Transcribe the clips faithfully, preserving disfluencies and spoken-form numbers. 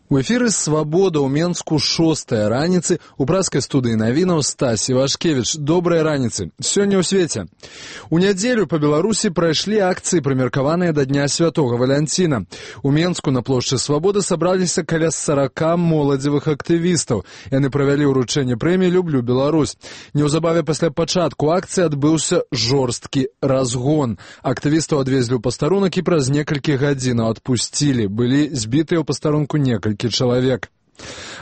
У эфіры «Свабода» ў Менску шостая раніцы. У праскай студыі навінаў Стась Івашкевіч. Добрыя раніцы. Сёння ў свеце. У нядзелю па Беларусі прайшлі акцыі, прымеркаваныя да Дня Святога Валянціна. У Менску на плошчы Свабоды сабраліся каля сарака моладзевых актывістаў. Яны правялі ўручэнне прэміі «Люблю Беларусь». Неўзабаве пасля пачатку акцыі адбыўся жорсткі разгон. Актывістаў адвезлі ў пастарунак і праз некалькі гадзінаў адпусцілі. Былі збітыя ў пастарунку некалькі чалавек.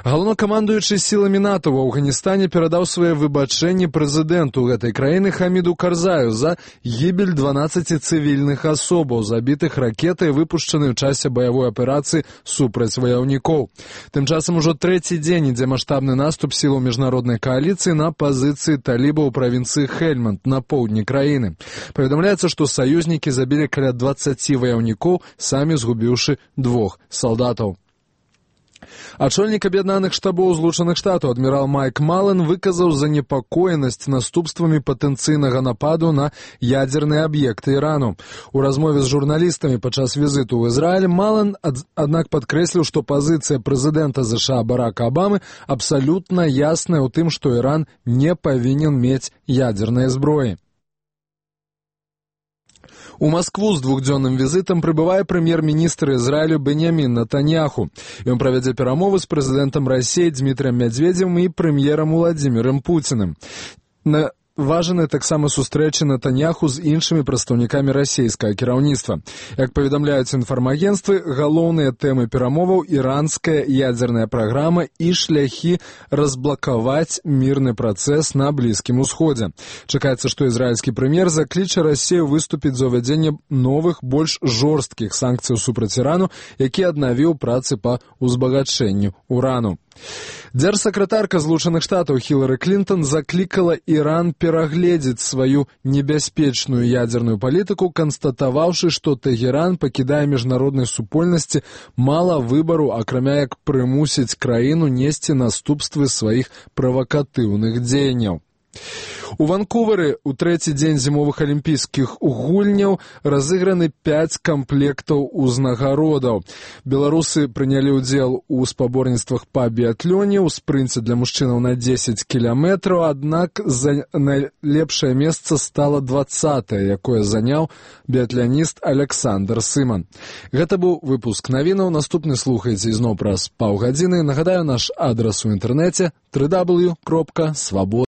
Галоўнакамандуючы сіламі НАТО ў Афганістане перадаў свае выбачэнні прэзідэнту гэтай краіны Хаміду Карзаю за гібель дванаццаці цывільных асобаў, забітых ракетай, выпушчанай у часе баявой аперацыі супраць ваяўнікоў. Тым часам ужо трэці дзень ідзе маштабны наступ сілаў міжнароднай кааліцыі на пазіцыі талібаў у правінцыі Хельманд на поўдні краіны. Паведамляецца, што саюзнікі забілі каля дваццаці ваяўнікоў, самі згубіўшы двух салдатаў. Ачольнік аб'яднаных штабоў Злучаных Штатаў адмірал Майк Мален выказаў занепакоенасць наступствамі патэнцыйнага нападу на ядзерныя аб'екты Ірану. У размове з журналістамі падчас візіту ў Ізраіль Мален, ад, аднак, падкрэсліў, што пазіцыя прэзідэнта ЗША Барака Абамы абсалютна ясная ў тым, што Іран не павінен мець ядзернай зброі. У Маскву з двухдзённым візітам прыбывае прэм'ер-міністр Ізраілю Беньямін Нетаньяху. Ён правядзе перамовы з прэзідэнтам Расіі Дмітрыем Мядзведзевым і прэм'ерам Уладзімірам Пуціным. На важаны таксама сустрэчы Нетаньяху з іншымі прадстаўнікамі расійскага кіраўніцтва. Як паведамляюць інфармагенцтвы, галоўныя тэмы перамоваў іранская ядзерная праграма і шляхі разблакаваць мірны працэс на Блізкім Усходзе. Чакаецца, што ізраільскі прэм'ер закліча Расію выступіць за ўвядзенне новых, больш жорсткіх санкцыяў супраць Ірану, які аднавіў працы па узбагачэнню урану. Дзяржсакратарка Злучаных Штатаў Хілары Клінтон заклікала Іран перагледзець сваю небяспечную ядзерную палітыку, канстатаваўшы, што Тэгеран пакідае міжнароднай супольнасці мала выбару, акрамя як прымусіць краіну несці наступствы сваіх правакатыўных дзеянняў. У Ванкувары ў трэці дзень зімовых алімпійскіх гульняў разыграны пяць камплектаў узнагародаў. Беларусы прынялі ўдзел у спаборніцтвах па біятлоне, у спрынце для мужчынаў на дзесяць кіламетраў, аднак за найлепшае месца стала дваццатае, якое заняў біятланіст Александр Сыман. Гэта быў выпуск навінаў. Наступны слухайце ізноў праз паўгадзіны. Нагадаю, наш адрас у інтэрнэце дабл ю дабл ю дабл ю кропка свабода.